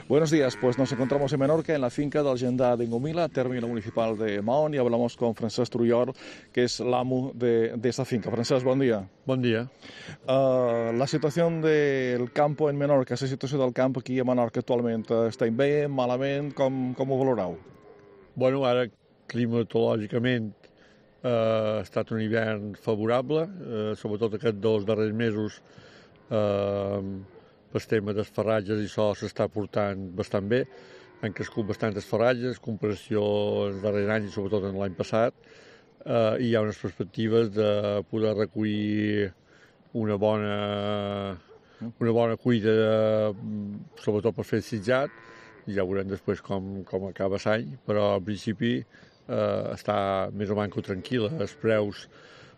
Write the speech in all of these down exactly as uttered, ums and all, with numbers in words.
Buenos días, pues nos encontramos en Menorca, en la finca del Gendar de Ingomila, término municipal de Mahón, y hablamos con Francesc Trullor, que es el amo de, de esta finca. Francesc, bon dia. Bon dia. Uh, la situación del campo en Menorca, la situació del camp aquí a Menorca actualment, està bé, malament, com, com ho valoreu? Bueno, ara climatològicament eh, ha estat un hivern favorable, eh, sobretot aquests dos darrers mesos eh, pel tema dels farratges i això s'està portant bastant bé. Han crescut bastantes farratges, comparació als darrers anys i sobretot en l'any passat, eh, i hi ha unes perspectives de poder recollir una bona, una bona cuida, sobretot per fer sitjat. Ja veurem després com, com acaba l'any, però al principi eh, està més o manco tranquil·la. Els preus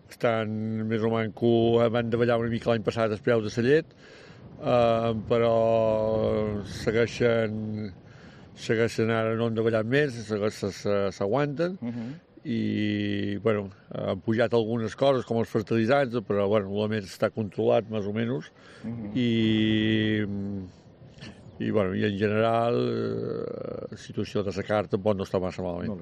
estan més o manco, van davallar una mica l'any passat els preus de la llet, eh, però segueixen, segueixen ara no han davallat més, s'aguanten, uh -huh. i bueno, han pujat algunes coses com els fertilitzants, però bueno, el més està controlat més o menys, uh -huh. i I, bueno, i en general la situació de la carta tampoc no està massa malament.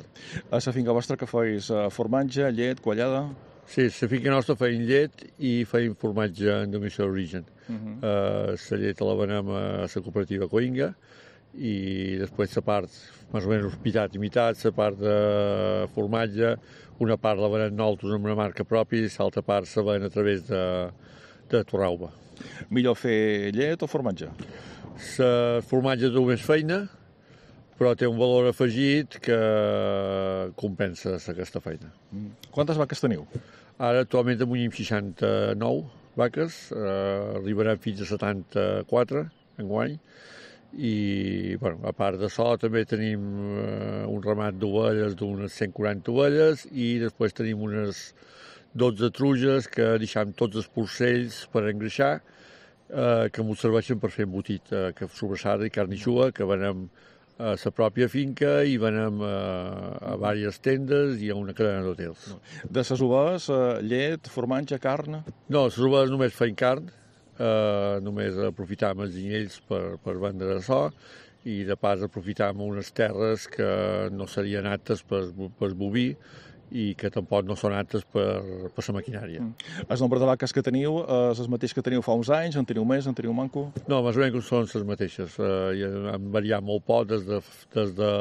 A la finca vostra que feis formatge, llet, quallada? Sí, la finca nostra feim llet i feim formatge en dominació d'origen. La uh -huh. uh, llet la venem a la cooperativa Coinga i després la part, més o menys mitat i mitat, la part de formatge, una part la venem nosaltres amb una marca pròpia i l'altra part la venem a través de, de Torralba. Millor fer llet o formatge? El formatge té més feina, però té un valor afegit que compensa aquesta feina. Mm. Quantes vaques teniu? Ara actualment tenim seixanta-nou vaques, eh, arribarem fins a setanta-quatre enguany, i bueno, a part d'això també tenim eh, un ramat d'ovelles d'unes cent quaranta ovelles i després tenim unes dotze truges que deixem tots els porcells per engreixar, Eh, que m'ho serveixen per fer embotit, eh, que sobrassada i carn eixuga, que venem a la pròpia finca i venem a, a diverses tendes i a una cadena d'hotels. De les ovelles, eh, llet, formatge, carn? No, les ovelles només feien carn, eh, només aprofitam els ginyells per, per vendre açò, i de pas aprofitam unes terres que no serien aptes per, per boví, i que tampoc no són aptes per, per la maquinària. Mm. El nombre de vaques que teniu és el mateix que teniu fa uns anys? En teniu més? En teniu manco? No, més o menys són les mateixes. Uh, han variat molt poc des de, des de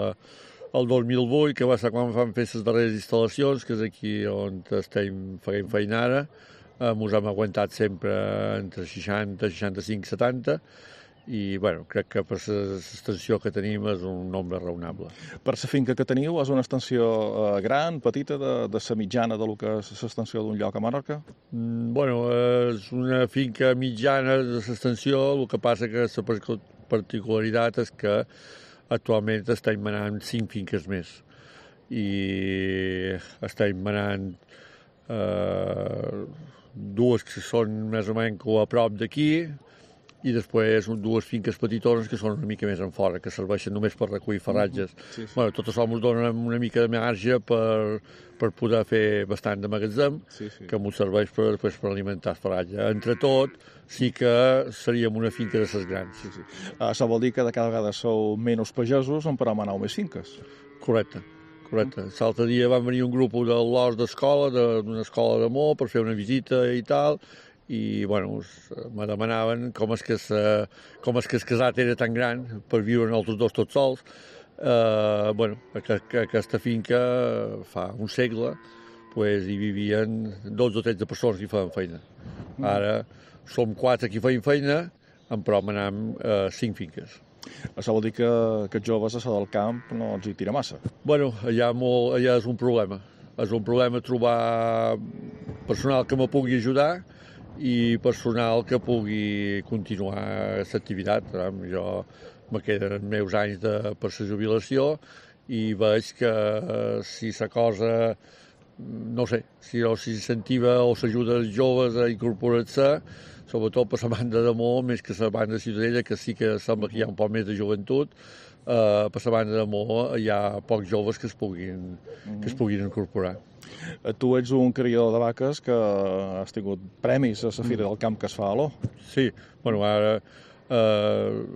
el dos mil vuit, que va ser quan vam fer les darreres instal·lacions, que és aquí on estem fent feina ara. Uh, ens hem aguantat sempre entre seixanta, seixanta-cinc, setanta, i bueno, crec que per l'extensió que tenim és un nombre raonable. Per la finca que teniu és una extensió eh, gran, petita, de, de la mitjana de lo que és l'extensió d'un lloc a Menorca? Mm, bueno, és una finca mitjana de l'extensió, el que passa que la particularitat és que actualment estem manant cinc finques més i estem manant eh, dues que són més o menys a prop d'aquí, i després dues finques petitones que són una mica més en fora, que serveixen només per recollir farratges. Sí, sí. Bueno, tot això ens dona una mica de marge per, per poder fer bastant de magatzem, sí, sí. que ens serveix per, després per alimentar el farratge. Entre tot, sí que seríem una finca de ses grans. Sí, sí. Uh, això vol dir que de cada vegada sou menys pagesos, on per manau més finques. Correcte. Correcte. L'altre dia van venir un grup de l'Hort d'escola, d'una escola d'amor, per fer una visita i tal, i bueno, me demanaven com és que el, com és que el casat era tan gran per viure nosaltres dos tots sols. Eh, bueno, aquesta finca fa un segle pues, hi vivien dotze o tretze persones que hi feien feina. Ara som quatre que hi feien feina, però manam eh, cinc finques. Això vol dir que, que els joves a del camp no els hi tira massa? Bueno, allà, molt, allà és un problema. És un problema trobar personal que me pugui ajudar i personal que pugui continuar l'activitat. Jo me queden els meus anys de, per la jubilació i veig que eh, si la cosa, no sé, si o s'incentiva o s'ajuda els joves a incorporar-se, sobretot per la banda d'amor, més que la banda de Ciutadella, que sí que sembla que hi ha un poc més de joventut, eh, per la banda d'amor hi ha pocs joves que es puguin, que es puguin incorporar. Tu ets un criador de vaques que has tingut premis a la Fira del Camp que es fa a l'O. Sí, bueno, ara eh,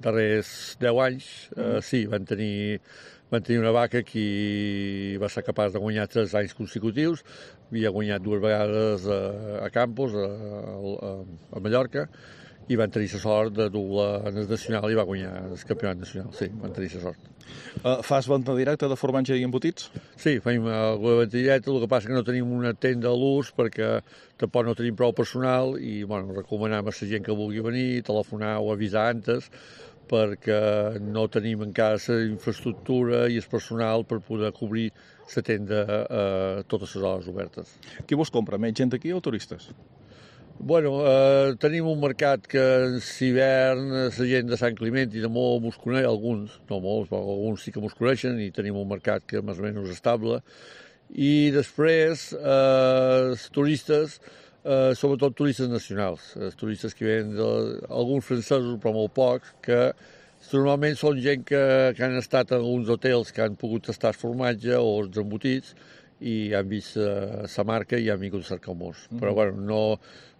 darrers deu anys, eh, sí, van tenir, van tenir una vaca que va ser capaç de guanyar tres anys consecutius, havia guanyat dues vegades a, a Campos, a, a, a Mallorca, i van tenir la sort de dur-la en el nacional i va guanyar el campionat nacional, sí, van tenir la sort. Uh, fas venda directa de formatge i embotits? Sí, fem alguna venda directa, el que passa que no tenim una tenda a l'ús perquè tampoc no tenim prou personal i bueno, recomanem a la gent que vulgui venir, telefonar o avisar antes perquè no tenim encara la infraestructura i el personal per poder cobrir la tenda a totes les hores obertes. Qui vos compra? Més gent aquí o turistes? Bueno, eh, tenim un mercat que en l'hivern la gent de Sant Climent i de molt mos coneix, alguns, no molts, però alguns sí que mos coneixen i tenim un mercat que més o menys estable. I després eh, els turistes, eh, sobretot turistes nacionals, els turistes que venen d'alguns francesos, però molt pocs, que normalment són gent que, que han estat en uns hotels que han pogut tastar el formatge o els embotits i han vist la uh, marca i han vingut a cercar molts. Mm -hmm. Però bueno, no...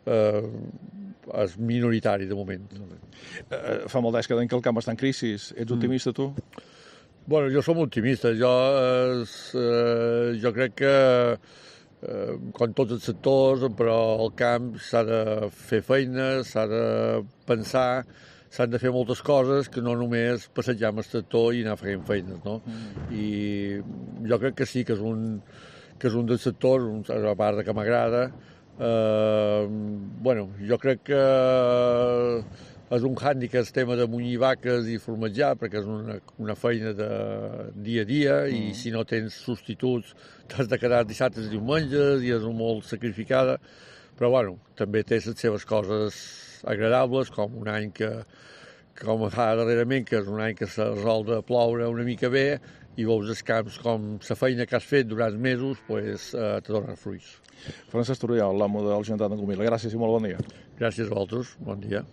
Eh, és minoritari de moment. Eh, fa molt d'anys que que el camp està en crisi. Ets optimista, mm. tu? Bueno, jo som optimista. Jo, eh, eh, jo crec que eh, com tots els sectors, però el camp s'ha de fer feina, s'ha de pensar, s'han de fer moltes coses que no només passejar amb el tractor i anar fent feines, no? Mm. I jo crec que sí, que és un, que és un dels sectors, a part de que m'agrada. Uh, bueno, jo crec que és un hàndicap el tema de munyir vaques i formatjar, perquè és una, una feina de dia a dia mm. i si no tens substituts t'has de quedar dissabtes i diumenges i és molt sacrificada, però bueno, també té les seves coses agradables, com un any que, com fa darrerament, que és un any que s'ha resolt de ploure una mica bé i veus els camps com la feina que has fet durant mesos pues, eh, te donen fruits. Francesc Turriol, l'amo del Gendat d'Angomila. Gràcies i molt bon dia. Gràcies a vosaltres. Bon dia.